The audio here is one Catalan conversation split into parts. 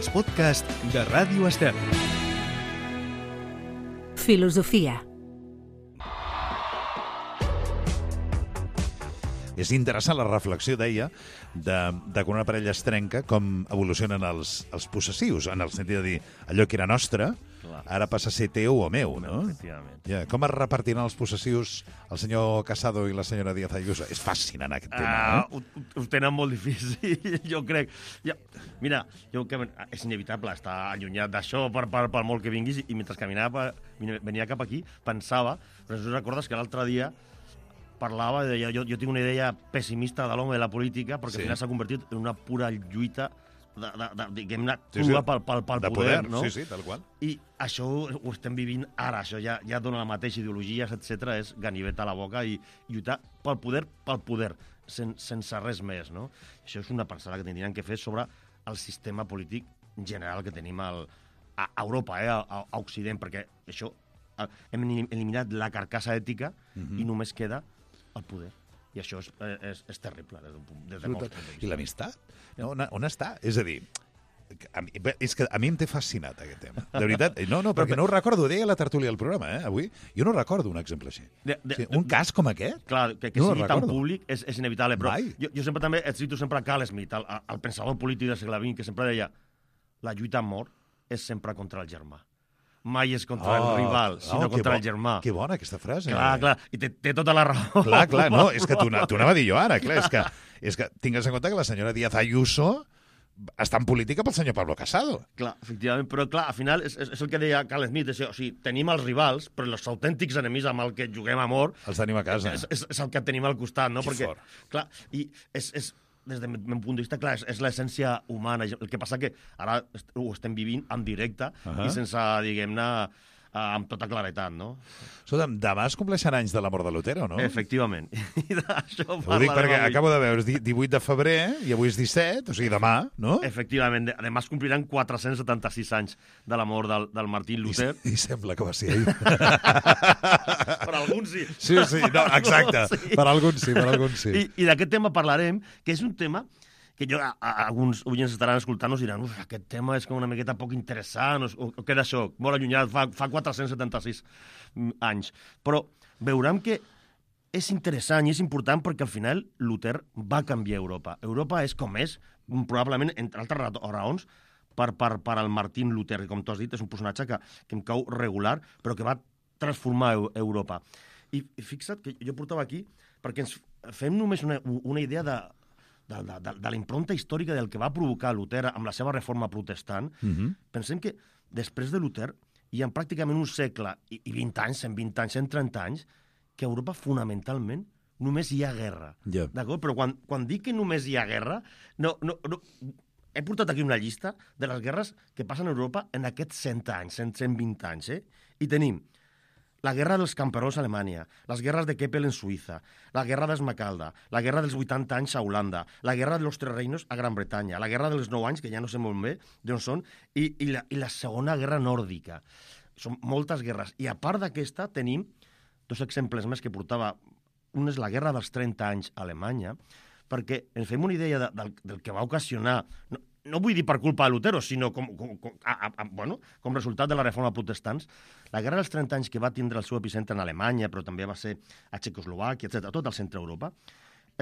els podcasts de Ràdio Estel. Filosofia. És interessant la reflexió, deia, de quan una parella es trenca, com evolucionen els possessius, en el sentit de dir allò que era nostre, ara passa a ser teu o meu, no? Efectivament. Ja, com es repartiran els possessius el senyor Casado i la senyora Díaz Ayuso? És fascinant aquest tema, Ho tenen molt difícil, jo crec. Mira, és inevitable estar allunyat d'això per molt que vinguis, i mentre venia cap aquí, pensava, però no recordes que l'altre dia parlava, deia, jo tinc una idea pessimista de l'home de la política, perquè al final s'ha convertit en una pura lluita diguem-ne, crua pel poder, no? Sí, tal qual. I això ho estem vivint ara, això ja dona la mateixa ideologia, etc. És ganivet a la boca i lluitar pel poder, sense res més, no? Això és una pensada que tindrien que fer sobre el sistema polític general que tenim a Europa, a Occident, perquè això hem eliminat la carcassa ètica i només queda el poder. I això és terrible des de molts punts de vista. I l'amistat? On està? És a dir, és que a mi em té fascinat aquest tema. De veritat, perquè no ho recordo, deia la tertúlia del programa, avui, jo no recordo un exemple així. Un cas com aquest? Clar, que sigui tan públic és inevitable, però jo sempre també cito sempre Carl Smith, el pensador polític del segle XX, que sempre deia la lluita a mort és sempre contra el germà. Mai és contra el rival, sinó contra el germà. Que bona aquesta frase. Clar, i té tota la raó. Clar, no, és que t'ho anava a dir jo ara, clar, és que tingues en compte que la senyora Díaz Ayuso està en política pel senyor Pablo Casado. Clar, efectivament, però clar, al final és el que deia Carl Smith, o sigui, tenim els rivals, però els autèntics enemics amb el que juguem a mort els tenim a casa. És el que tenim al costat, no? Que perquè, fort. Clar, i és des del meu punt de vista, clar, és l'essència humana. El que passa que ara ho estem vivint en directe i sense, diguem-ne, amb tota claretat, no? Escolta'm, demà es compleixen anys de la mort de Lutero, no? Efectivament. I d'això ho dic perquè acabo de veure, és 18 de febrer i avui és 17, o sigui, demà, no? Efectivament. Demà es compliran 476 anys de la mort del Martín Lutero. I sembla que va ser ahir. Per alguns sí. Sí, no, exacte. Sí. Per alguns sí. I d'aquest tema parlarem, que és un tema que alguns oients estaran escoltant-nos i diran aquest tema és com una miqueta poc interessant, o queda això, molt allunyat, fa 476 anys. Però veurem que és interessant i és important perquè al final Luter va canviar Europa. Europa és com és, probablement, entre altres raons, per al Martín Luter, que com tu has dit és un personatge que em cau regular, però que va transformar Europa. I fixa't que jo portava aquí perquè ens fem només una idea de la impronta històrica del que va provocar Luter amb la seva reforma protestant. Pensem que després de Luter hi ha pràcticament un segle i 20 anys, 120 anys, 130 anys, que a Europa fonamentalment només hi ha guerra. D'acord? Però quan dic que només hi ha guerra, no, he portat aquí una llista de les guerres que passen a Europa en aquests 100 anys, 120 anys. I tenim la guerra dels camperols a Alemanya, les guerres de Keppel en Suïssa, la guerra d'Esmacalda, la guerra dels 80 anys a Holanda, la guerra de los Tres Reinos a Gran Bretanya, la guerra dels 9 anys, que ja no sé molt bé d'on són, i la segona guerra nòrdica. Són moltes guerres. I a part d'aquesta tenim dos exemples més que portava. Un és la guerra dels 30 anys a Alemanya, perquè ens fem una idea del que va ocasionar... No vull dir per culpa de Lutero, sinó com resultat de la reforma protestants. La guerra dels 30 anys que va tindre el seu epicentre en Alemanya, però també va ser a Txecoslovàquia, etc., tot el centre d'Europa,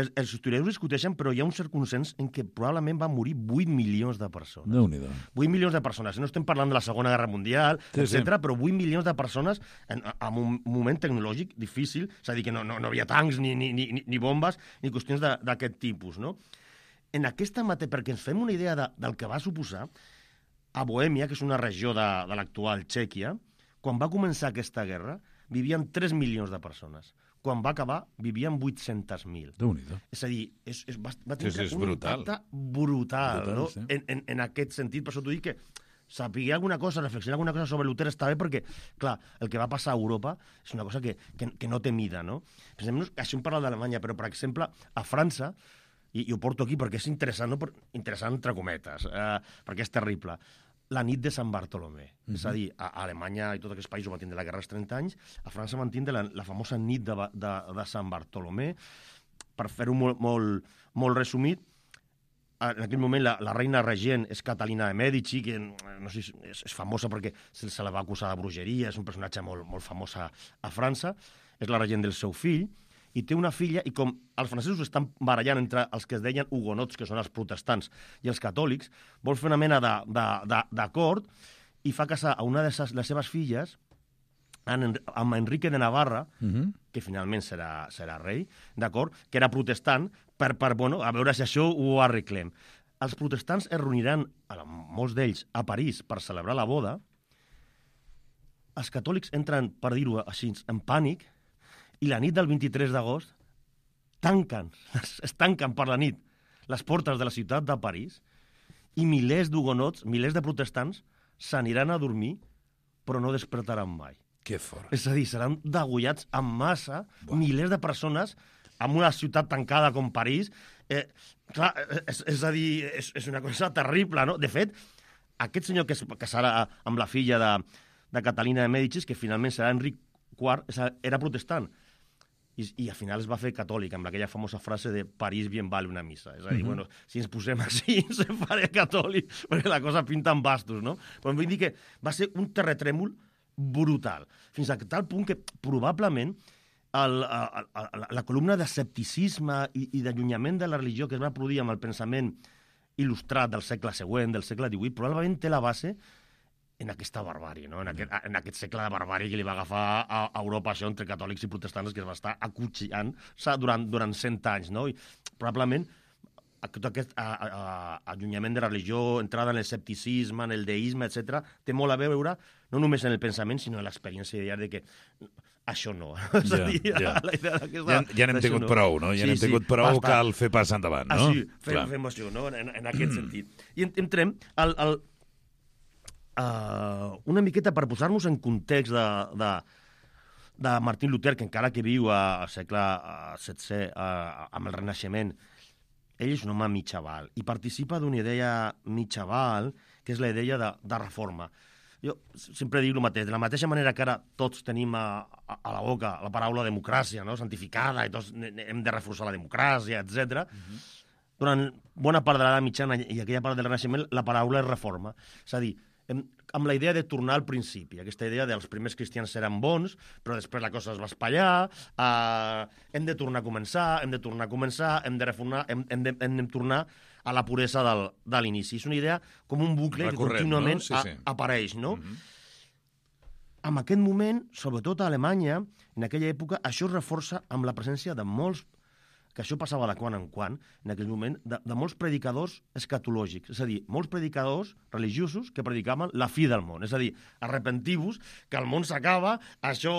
els historiadors discuteixen, però hi ha un cert consens en què probablement van morir 8 milions de persones. Déu-n'hi-do. 8 milions de persones. No estem parlant de la Segona Guerra Mundial, etc., però 8 milions de persones en un moment tecnològic difícil, és a dir, que no havia tancs, ni bombes, ni qüestions d'aquest tipus, no? En aquesta perquè ens fem una idea del que va suposar, a Bohèmia, que és una regió de l'actual Txèquia, quan va començar aquesta guerra, vivien 3 milions de persones. Quan va acabar, vivien 800.000. Déu-n'hi-do. És a dir, va tenir un brutal. impacte brutal, no? Sí. En aquest sentit, per això t'ho dic que saber alguna cosa, reflexionar alguna cosa sobre Luter està bé perquè, clar, el que va passar a Europa és una cosa que no té mida, no? Pensem-nos, això hem parlat d'Alemanya, però, per exemple, a França, i ho porto aquí perquè és interessant, no? Interessant entre cometes, perquè és terrible. La nit de Sant Bartolomé. És a dir, a Alemanya i tots aquests països van tindre la guerra als 30 anys, a França van tindre la famosa nit de, de, de Sant Bartolomé. Per fer-ho molt resumit, 3 en aquell moment la reina regent és Catalina de Mèdici, que no sé, és famosa perquè se la va acusar de bruixeria, és un personatge molt famós a França, és la regent del seu fill, i té una filla, i com els francesos estan barallant entre els que es deien hugonots, que són els protestants, i els catòlics, vol fer una mena d'acord i fa casar a una de les seves filles amb Enrique de Navarra, que finalment serà rei, d'acord, que era protestant, per a veure si això ho arreglem. Els protestants es reuniran, molts d'ells, a París per celebrar la boda. Els catòlics entren, per dir-ho així, en pànic, i la nit del 23 d'agost es tanquen per la nit les portes de la ciutat de París i milers d'hugonots, milers de protestants, s'aniran a dormir, però no despertaran mai. Que fort. És a dir, seran degollats en massa, milers de persones, en una ciutat tancada com París. Clar, és a dir, és una cosa terrible, no? De fet, aquest senyor que es casarà amb la filla de Catalina de Mèdicis, que finalment serà Enric IV, era protestant. I al final es va fer catòlic, amb aquella famosa frase de París bien vale una missa. És a dir, bueno, si ens posem així, se faré catòlic, perquè la cosa pinta en bastos, no? Però vull dir que va ser un terratrèmol brutal, fins a tal punt que probablement la columna d'escepticisme i d'allunyament de la religió que es va produir amb el pensament il·lustrat del segle següent, del segle XVIII, probablement té la base en aquesta barbàrie, no? En aquest segle de barbàrie que li va agafar a Europa això entre catòlics i protestants, que es va estar acutxillant durant 100 anys, no? I probablement tot aquest allunyament de la religió, entrada en l'escepticisme, en el deisme, etc., té molt a veure no només en el pensament, sinó en l'experiència diària de que això no. És a dir, la idea d'aquesta... Ja n'hem tingut prou, no? Ja n'hem tingut prou, cal fer pas endavant, no? Sí, fem això, no? En aquest sentit. I entrem una miqueta per posar-nos en context de Martin Luther, que encara que viu al segle XVI amb el Renaixement, ell és un home mitjaval i participa d'una idea mitjaval, que és la idea de reforma. Jo sempre dic el mateix, de la mateixa manera que ara tots tenim a la boca la paraula democràcia, no? Santificada, i tots hem de reforçar la democràcia, etc. Durant bona part de l'edat mitjana i aquella part del Renaixement, la paraula és reforma. És a dir, amb la idea de tornar al principi, aquesta idea dels primers cristians eren bons, però després la cosa es va espatllar, hem de tornar a començar, hem de reformar, hem de tornar a la puresa de l'inici. És una idea com un bucle que contínuament apareix, no? En aquest moment, sobretot a Alemanya, en aquella època, això es reforça amb la presència de molts, que això passava de quan en quan, en aquell moment, de molts predicadors escatològics. És a dir, molts predicadors religiosos que predicaven la fi del món. És a dir, arrepentiu-vos, que el món s'acaba, això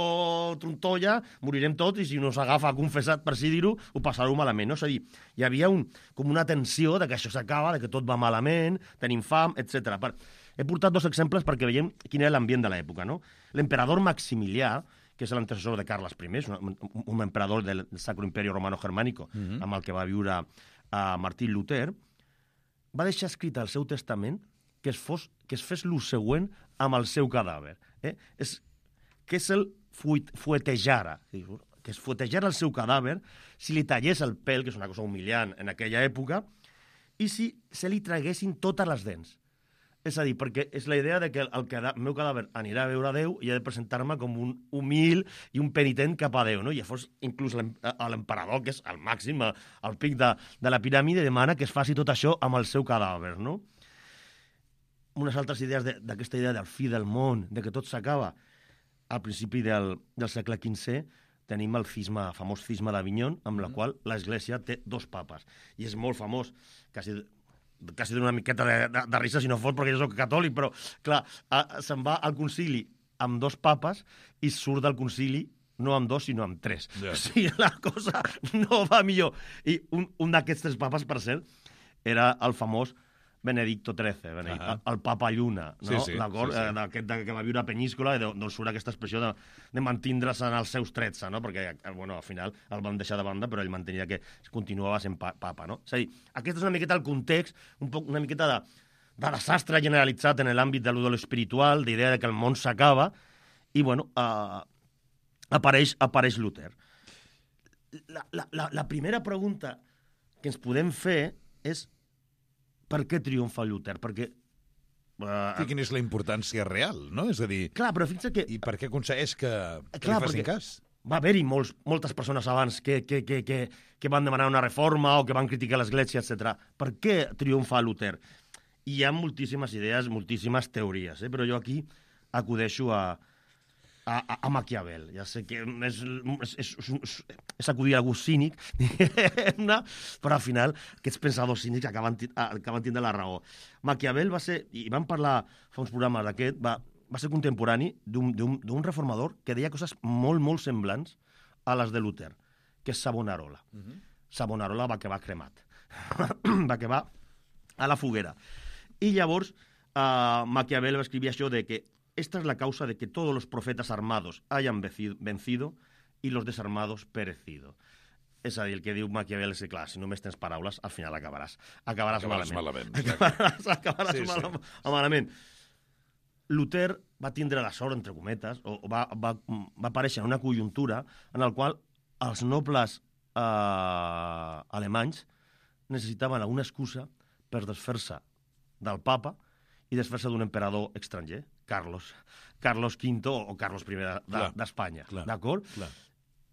trontolla, morirem tots, i si no s'agafa confessat, per si dir-ho, ho passareu malament. No? És a dir, hi havia com una tensió de que això s'acaba, de que tot va malament, tenim fam, etc. He portat 2 exemples perquè veiem quin era l'ambient de l'època. No? L'emperador Maximilià, que és l'antecessor de Carles I, un emperador del Sacro Imperio Romano-Germánico, amb el que va viure Martin Luther, va deixar escrit al seu testament que es fes lo següent amb el seu cadàver. Que se'l fuetejara, que es fuetejara el seu cadàver, si li tallés el pèl, que és una cosa humiliant en aquella època, i si se li traguessin totes les dents. És a dir, perquè és la idea de que el meu cadàver anirà a veure a Déu i ha de presentar-me com un humil i un penitent cap a Déu, no? I llavors, inclús l'emperador, que és el màxim, al pic de la piràmide, demana que es faci tot això amb el seu cadàver, no? Unes altres idees d'aquesta idea del fi del món, de que tot s'acaba. Al principi del segle XV tenim el famós cisma d'Avinyó, amb la qual l'Església té 2 papes. I és molt famós, quasi dona una miqueta de risa si no fos perquè jo soc catòlic, però clar, se'n va al concili amb 2 papes i surt del concili no amb 2 sinó amb 3. O sigui, la cosa no va millor. I un d'aquests 3 papes, per cert, era el famós Benedicto XIII, el papa lluna, no? D'aquest que va viure a Peníscola, d'on surt aquesta expressió de mantindre's en els seus 13, no? Perquè al final el van deixar de banda, però ell mantenia que continuava sent papa, no? És a dir, aquest és una miqueta el context, una miqueta de desastre generalitzat en l'àmbit de lo espiritual, d'idea de que el món s'acaba, i bueno, apareix Luther. La primera pregunta que ens podem fer és per què triomfa Luter? Perquè... Quina és la importància real, no? És a dir... Clar, però fixa't que... I per què aconsegueix que li facin cas? Va haver-hi moltes persones abans que van demanar una reforma o que van criticar l'Església, etc. Per què triomfa Luter? Hi ha moltíssimes idees, moltíssimes teories, però jo aquí acudeixo a Maquiavel. Ja sé que és acudir a algú cínic, però al final aquests pensadors cínics acaben tindre la raó. Maquiavel va ser, i vam parlar fa uns programes d'aquest, va ser contemporani d'un reformador que deia coses molt, molt semblants a les de Luter, que és Savonarola. Savonarola va acabar cremat. Va acabar a la foguera. I llavors Maquiavel va escriure això de que esta es la causa de que todos los profetas armados hayan vencido y los desarmados perecido. És a dir, el que diu Maquiavel és que, clar, si només tens paraules, al final acabaràs malament. Acabaràs malament. Luter va tindre la sort, entre cometes, o va aparèixer en una conjuntura en la qual els nobles alemanys necessitaven alguna excusa per desfer-se del papa i desfer-se d'un emperador estranger, Carlos V o Carlos I d'Espanya, d'acord?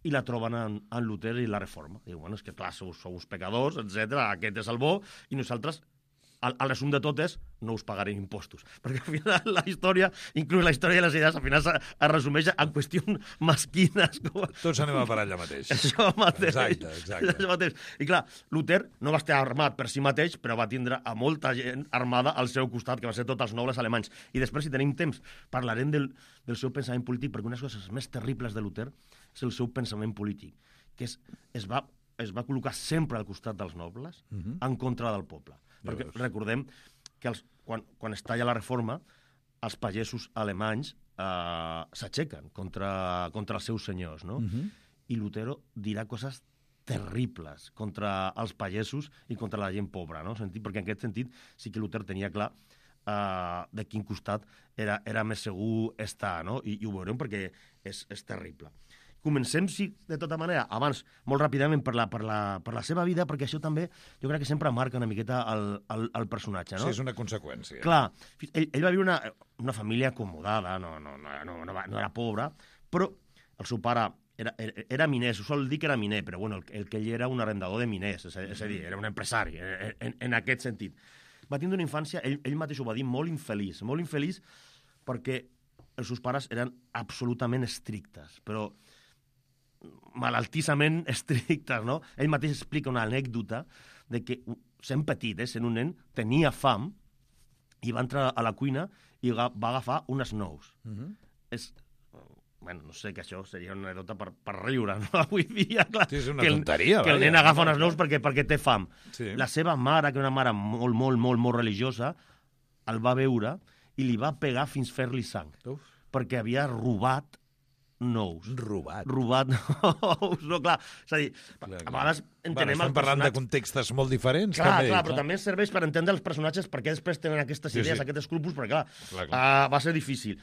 I la troben en Luter i la reforma. Diu, bueno, és que clar, sou uns pecadors, etc. Aquest és el bo, i nosaltres, el resum de tot és, no us pagarem impostos. Perquè al final la història, inclús la història de les idees, al final es resumeix en qüestions mesquines. Tots anem a parar allà mateix. Això mateix. Exacte. Això mateix. I clar, Luter no va estar armat per si mateix, però va tindre a molta gent armada al seu costat, que va ser tots els nobles alemanys. I després, si tenim temps, parlarem del seu pensament polític, perquè una de les coses més terribles de Luter és el seu pensament polític, que es va col·locar sempre al costat dels nobles en contra del poble. Perquè recordem que quan es talla la reforma, els pagesos alemanys s'aixequen contra els seus senyors, no? I Lutero dirà coses terribles contra els pagesos i contra la gent pobra, no? Perquè en aquest sentit sí que Luter tenia clar de quin costat era més segur estar, no? I ho veurem perquè és terrible. Comencem, sí, de tota manera, abans, molt ràpidament, per la seva vida, perquè això també, jo crec que sempre marca una miqueta el personatge, no? Sí, és una conseqüència. Clar, ell va viure una família acomodada, no era pobra, però el seu pare era miner, s'ho sol dir que era miner, però bueno, el que ell era un arrendador de miners, és a dir, era un empresari, en aquest sentit. Va tindre una infància, ell mateix ho va dir, molt infeliç perquè els seus pares eren absolutament estrictes, però malaltissament estrictes, no? Ell mateix explica una anècdota de que, sent petit, sent un nen, tenia fam i va entrar a la cuina i va agafar unes nous. Bueno, no sé, que això seria una anècdota per riure, no? Avui dia, clar, sí, és una tonteria, que el nen agafa unes nous perquè té fam. Sí. La seva mare, que era una mare molt, molt, molt, molt religiosa, el va veure i li va pegar fins fer-li sang. Perquè havia robat nous. Robat nous, no, clar. És a dir, a vegades entenem estem parlant de contextes molt diferents. Clar, però també serveix per entendre els personatges perquè després tenen aquestes idees, aquests escrúpols, perquè clar, va ser difícil.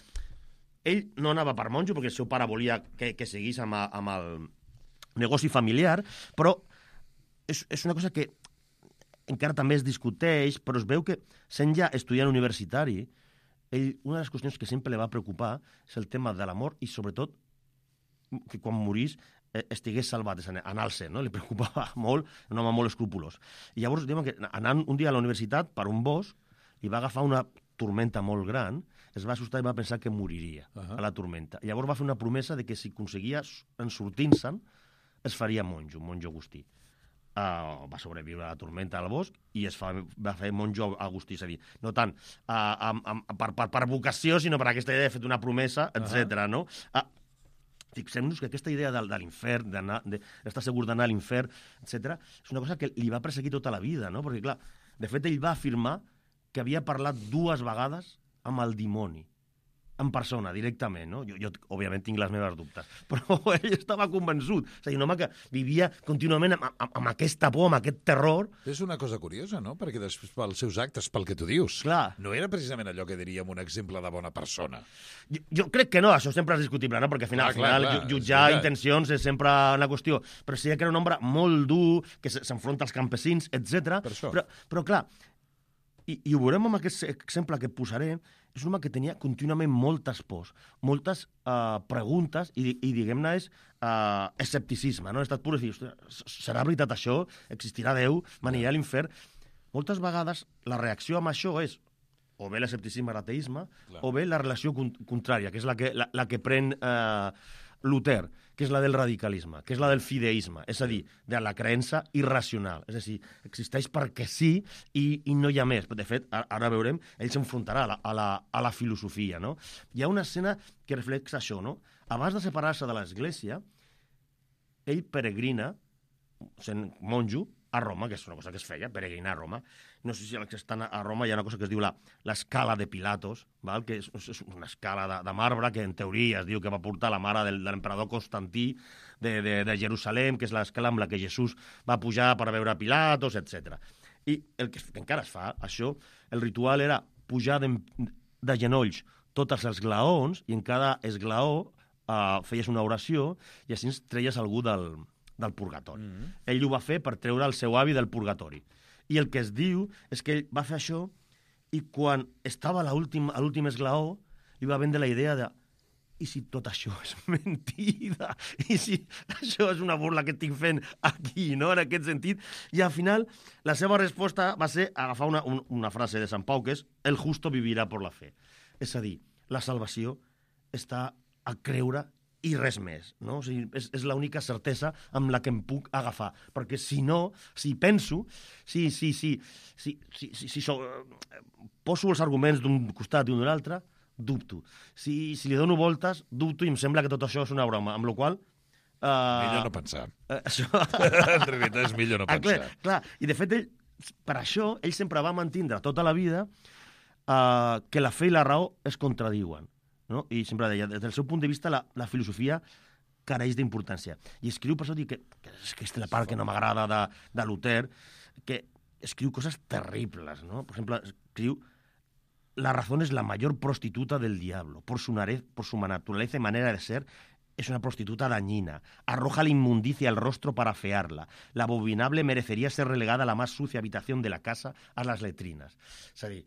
Ell no anava per monjo perquè el seu pare volia que seguís amb el negoci familiar, però és una cosa que encara també es discuteix, però es veu que sent ja estudiant universitari, una de les qüestions que sempre li va preocupar és el tema de l'amor i, sobretot, que quan morís estigués salvat, anar al cel, no? Li preocupava molt, un home molt escrupolós. I llavors, diuen que anant un dia a la universitat per un bosc, li va agafar una tormenta molt gran, es va assustar i va pensar que moriria a la tormenta. I llavors va fer una promesa de que si aconseguia en sortint-se'n, es faria monjo agustí. Va sobreviure a la tormenta al bosc i va fer monjo agustí, és a dir, no tant per vocació, sinó per aquesta idea de fer una promesa, etc. No? Fixem-nos que aquesta idea de l'infern, d'estar segur d'anar a l'infern, etc., és una cosa que li va perseguir tota la vida, no? Perquè, clar, de fet, ell va afirmar que havia parlat 2 vegades amb el dimoni, en persona, directament, no? Jo òbviament, tinc les meves dubtes, però ell estava convençut. És a dir, un home que vivia contínuament amb aquesta por, amb aquest terror. És una cosa curiosa, no? Perquè després, pels seus actes, pel que tu dius, clar, no era precisament allò que diríem un exemple de bona persona. Jo crec que no, això sempre és discutible, no? Perquè al final jutjar intencions és sempre una qüestió. Però sí que era un home molt dur, que s'enfronta als campesins, etc. Per això. Però clar, I ho veurem amb aquest exemple que et posaré. És un home que tenia contínuament moltes pors, moltes preguntes, i diguem-ne és escepticisme, no? Ha estat pur de dir, serà veritat això? Existirà Déu? M'aniré a l'infern? Moltes vegades la reacció amb això és o bé l'escepticisme, l'ateisme, o bé la relació contrària, que és la que pren Luther, que és la del radicalisme, que és la del fideisme, és a dir, de la creença irracional. És a dir, existeix perquè sí i no hi ha més. De fet, ara veurem, ell s'enfrontarà a la filosofia, no? Hi ha una escena que reflexa això, no? Abans de separar-se de l'Església, ell peregrina, sent monjo, a Roma, que és una cosa que es feia, peregrinar a Roma. No sé si els que estan a Roma hi ha una cosa que es diu l'escala de Pilatos, val? Que és una escala de marbre que en teoria es diu que va portar la mare de l'emperador Constantí de Jerusalem, que és l'escala amb la que Jesús va pujar per veure Pilatos, etc. I el que encara es fa, això, el ritual era pujar de genolls tots els esglaons, i en cada esglaó feies una oració i així treies algú del purgatori. Ell ho va fer per treure el seu avi del purgatori. I el que es diu és que ell va fer això i quan estava a l'últim esglaó li va vendre la idea de i si tot això és mentida? I si això és una burla que estic fent aquí, no? En aquest sentit. I al final la seva resposta va ser agafar una frase de Sant Pau que és el justo vivirà por la fe. És a dir, la salvació està a creure i res més, no? O sigui, és l'única certesa amb la que em puc agafar, perquè si no, si penso, si poso els arguments d'un costat i d'un altre, dubto. Si li dono voltes, dubto i em sembla que tot això és una broma, amb la qual millor no pensar. Això... En realitat és millor no pensar. Clar. I de fet, per això, ell sempre va mantindre tota la vida que la fe i la raó es contradiuen. No? I sempre deia, des del seu punt de vista, la filosofia careix d'importància. I escriu, per això dic que és la part que no m'agrada de Luther, que escriu coses terribles, no? Per exemple, escriu la razón es la mayor prostituta del diablo. Por su naturaleza y manera de ser, es una prostituta dañina. Arroja la inmundicia al rostro para afearla. La abominable merecería ser relegada a la más sucia habitación de la casa, a las letrinas. És a dir,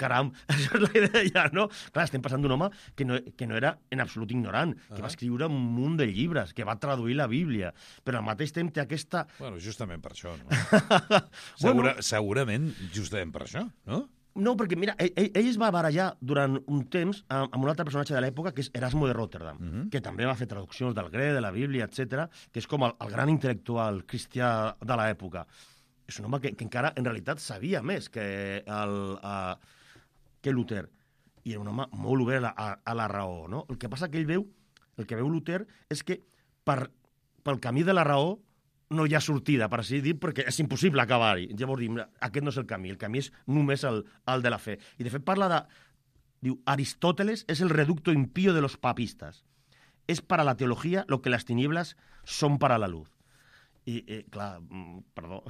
caram, això és la idea, no? Clar, estem passant d'un home que no era en absolut ignorant, que va escriure un munt de llibres, que va traduir la Bíblia, però al mateix temps té aquesta... Bueno, justament per això, no? Segurament justament per això, no? No, perquè, mira, ell es va barallar durant un temps amb un altre personatge de l'època, que és Erasmo de Rotterdam, que també va fer traduccions del grec, de la Bíblia, etc., que és com el gran intel·lectual cristià de l'època. És un home que encara, en realitat, sabia més que Luther. I era un home molt obert a la raó, no? El que passa que el que veu Luther és que pel camí de la raó no hi ha sortida, per així dir, perquè és impossible acabar-hi. Llavors diu, aquest no és el camí és només el de la fe. I de fet parla de... Diu, Aristóteles es el reducto impío de los papistas. Es para la teología lo que las tinieblas son para la luz. I, clar, perdó.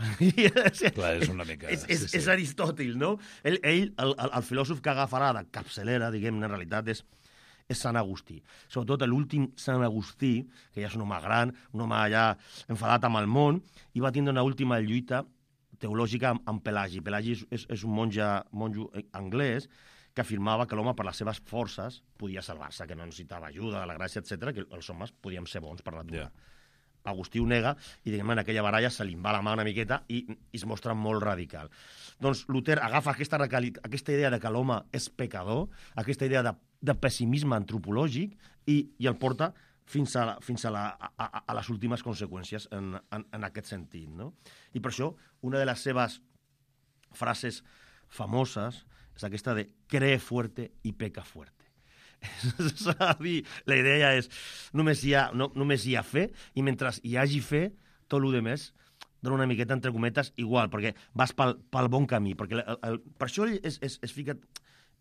Clar, és una mica... És Aristòtil, no? El filòsof que agafarà de capçalera, diguem-ne, en realitat, és Sant Agustí. Sobretot l'últim Sant Agustí, que ja és un home gran, un home ja enfadat amb el món, i va tindre una última lluita teològica amb Pelagi. Pelagi és un monjo anglès que afirmava que l'home per les seves forces podia salvar-se, que no necessitava ajuda, la gràcia, etc., que els homes podíem ser bons per natura. Yeah. Agustí ho nega i, diguem, en aquella baralla se li va la mà una miqueta i es mostra molt radical. Doncs Luther agafa aquesta idea de que l'home és pecador, aquesta idea de pessimisme antropològic i el porta fins a les últimes conseqüències en aquest sentit, no? I per això una de les seves frases famoses és aquesta de cree fuerte y peca fuerte. És a dir, la idea és només hi ha fe i mentre hi hagi fe, tot el més dona una miqueta entre cometes igual, perquè vas pel bon camí, perquè per això ell es fica,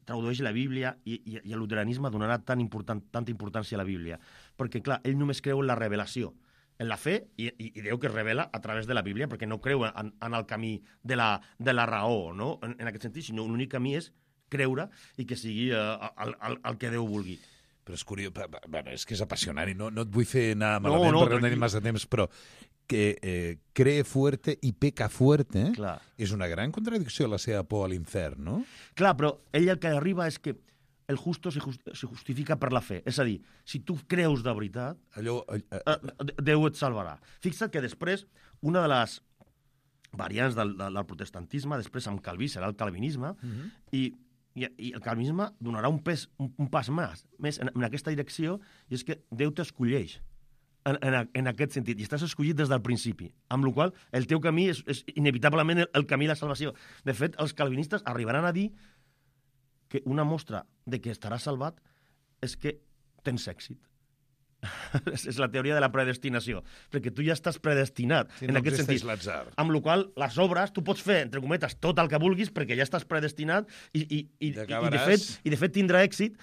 tradueix la Bíblia i el luteranisme donarà tanta importància a la Bíblia, perquè clar, ell només creu en la revelació, en la fe, i Déu que es revela a través de la Bíblia, perquè no creu en el camí de la raó, no? En aquest sentit, sinó l'únic camí és creure i que sigui el que Déu vulgui. Però és curiós, bueno, és que és apassionant i no et vull fer anar malament perquè no tenim massa temps, però que cree fuerte i peca fuerte, Clar. és una gran contradicció la seva por a l'infern, no? Clar, però ell el que arriba és que el justo se justifica per la fe. És a dir, si tu creus de veritat, Déu et salvarà. Fixa't que després, una de les variants del protestantisme, després amb Calví serà el calvinisme, i el calvinisme donarà un pas més en aquesta direcció, i és que Déu t'escolleix en aquest sentit, i estàs escollit des del principi, amb la qual cosa el teu camí és inevitablement el camí de la salvació. De fet, els calvinistes arribaran a dir que una mostra de que estaràs salvat és que tens èxit. És la teoria de la predestinació, perquè tu ja estàs predestinat en aquest sentit. Amb la qual cosa, les obres, tu pots fer, entre cometes, tot el que vulguis perquè ja estàs predestinat i de fet tindrà èxit.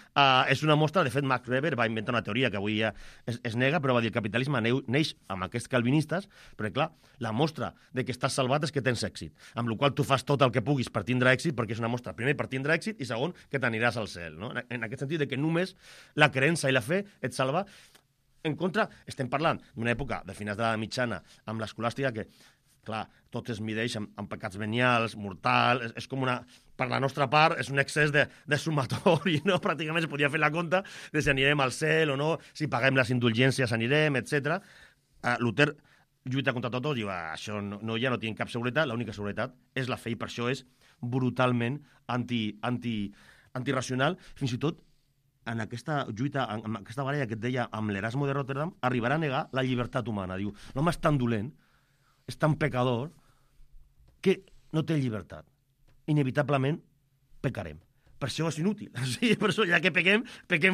És una mostra, de fet, Max Weber va inventar una teoria que avui ja es nega, però va dir el capitalisme neix amb aquests calvinistes, perquè, clar, la mostra de que estàs salvat és que tens èxit, amb la qual cosa tu fas tot el que puguis per tindre èxit, perquè és una mostra, primer, per tindre èxit, i segon, que t'aniràs al cel, no? En aquest sentit de que només la creença i la fe et salva. En contra, estem parlant d'una època de finals de la mitjana amb l'escolàstica que, clar, tot es mideix amb pecats venials, mortal, és com una... Per la nostra part, és un excés de sumatori, no? Pràcticament es podia fer la compta de si anirem al cel o no, si paguem les indulgències anirem, etc. Luther lluita contra tot i diu, això ja no tinc cap seguretat, l'única seguretat és la fe, i per això és brutalment antirracional, fins i tot en aquesta lluita, en aquesta baralla que et deia amb l'Erasmo de Rotterdam, arribarà a negar la llibertat humana. Diu, l'home és tan dolent, és tan pecador, que no té llibertat. Inevitablement pecarem. Per això és inútil. Sí, per això, ja que pequem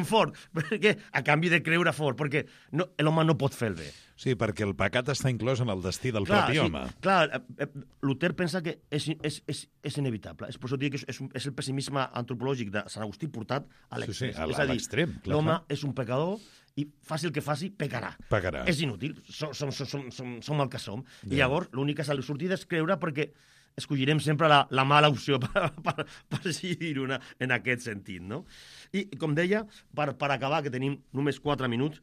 fort. Perquè, a canvi de creure fort, perquè l'home no pot fer el bé. Sí, perquè el pecat està inclòs en el destí del propi home. Clar, Luther pensa que és inevitable. És per això que és el pessimisme antropològic de Sant Agustí portat a l'extrem. Sí, a l'extrem. L'home és un pecador i faci el que faci, pecarà. És inútil. Som el que som. I llavors l'única sortida és creure, perquè escollirem sempre la mala opció per decidir una en aquest sentit, no? I, com deia, per acabar, que tenim només 4 minuts,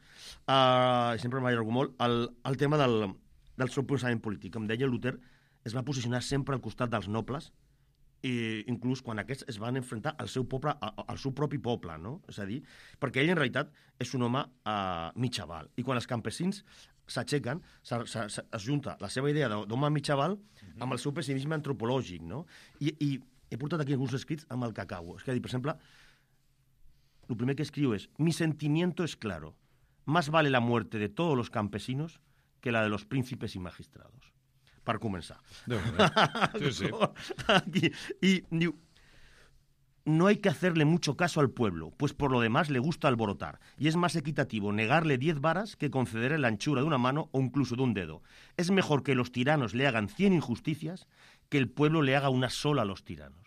sempre m'allargo molt, el tema del seu pensament polític. Com deia, Luther es va posicionar sempre al costat dels nobles, i inclús quan aquests es van enfrontar al seu poble, al seu propi poble, no? És a dir, perquè ell en realitat és un home mitjaval, i quan els campesins s'aixequen, es junta la seva idea d'home mitjaval amb el seu pessimisme antropològic, no? I he portat aquí alguns escrits amb el que acabo. És que, per exemple, el primer que escriu és: mi sentimiento es claro, más vale la muerte de todos los campesinos que la de los príncipes y magistrados. Per començar. Sí. Aquí. Y diu: no hay que hacerle mucho caso al pueblo, pues por lo demás le gusta alborotar, y es más equitativo negarle 10 varas que concederle la anchura de una mano o incluso de un dedo. Es mejor que los tiranos le hagan 100 injusticias que el pueblo le haga una sola a los tiranos.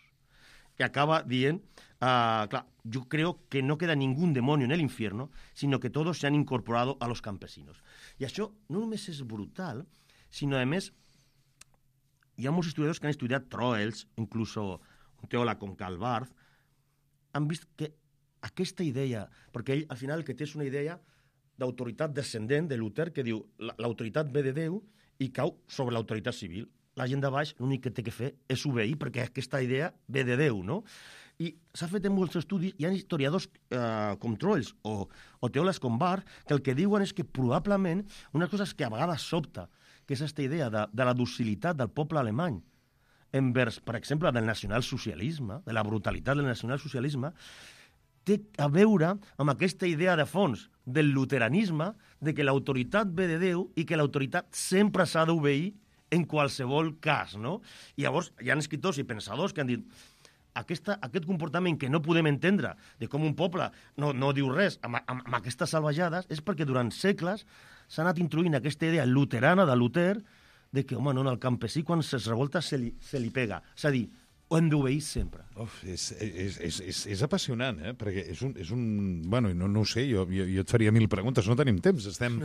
Que acaba dient, claro, yo creo que no queda ningún demonio en el infierno, sino que todos se han incorporado a los campesinos. I això no només és brutal, sinó, a més, hi ha molts historiadors que han estudiat Troels, incluso un teòleg com Karl Barth, han vist que aquesta idea, perquè ell al final el que té és una idea d'autoritat descendent de Luther, que diu l'autoritat ve de Déu i cau sobre l'autoritat civil. La gent de baix l'únic que té que fer és obeir, perquè aquesta idea ve de Déu, no? I s'ha fet en molts estudis, hi ha historiadors com Troels o teòlegs com Barth, que el que diuen és que probablement unes coses que a vegades sobta, que és aquesta idea de la docilitat del poble alemany, envers, per exemple, del nacionalsocialisme, de la brutalitat del nacionalsocialisme, té a veure amb aquesta idea de fons del luteranisme, de que l'autoritat ve de Déu i que l'autoritat sempre s'ha d'obeir en qualsevol cas, no? I llavors hi ha escriptors i pensadors que han dit aquest comportament que no podem entendre de com un poble no diu res amb aquestes salvajades és perquè durant segles s'ha anat introduint aquesta idea luterana de Luther de que, home, no, el campesí quan es revolta se li pega. És a dir, o hem d'obeir sempre? És apassionant, perquè és un... Bueno, no ho sé, jo et faria 1000 preguntes, no tenim temps, estem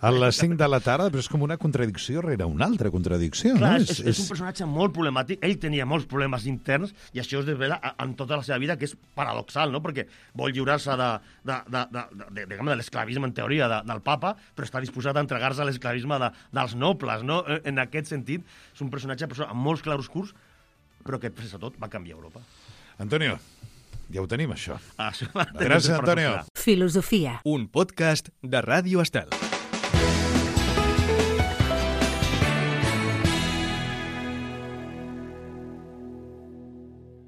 a les 5 de la tarda, però és com una contradicció rere una altra contradicció. Clar, no? És un personatge molt problemàtic, ell tenia molts problemes interns, i això es desvela en tota la seva vida, que és paradoxal, no? Perquè vol lliurar-se de l'esclavisme, en teoria, del papa, però està disposat a entregar-se a l'esclavisme dels nobles, no? En aquest sentit, és un personatge amb molts claroscurs, però que, després de tot, va canviar Europa. Antonio, ja ho tenim, això. Gràcies, Antonio. Filosofia. Un podcast de Ràdio Estel.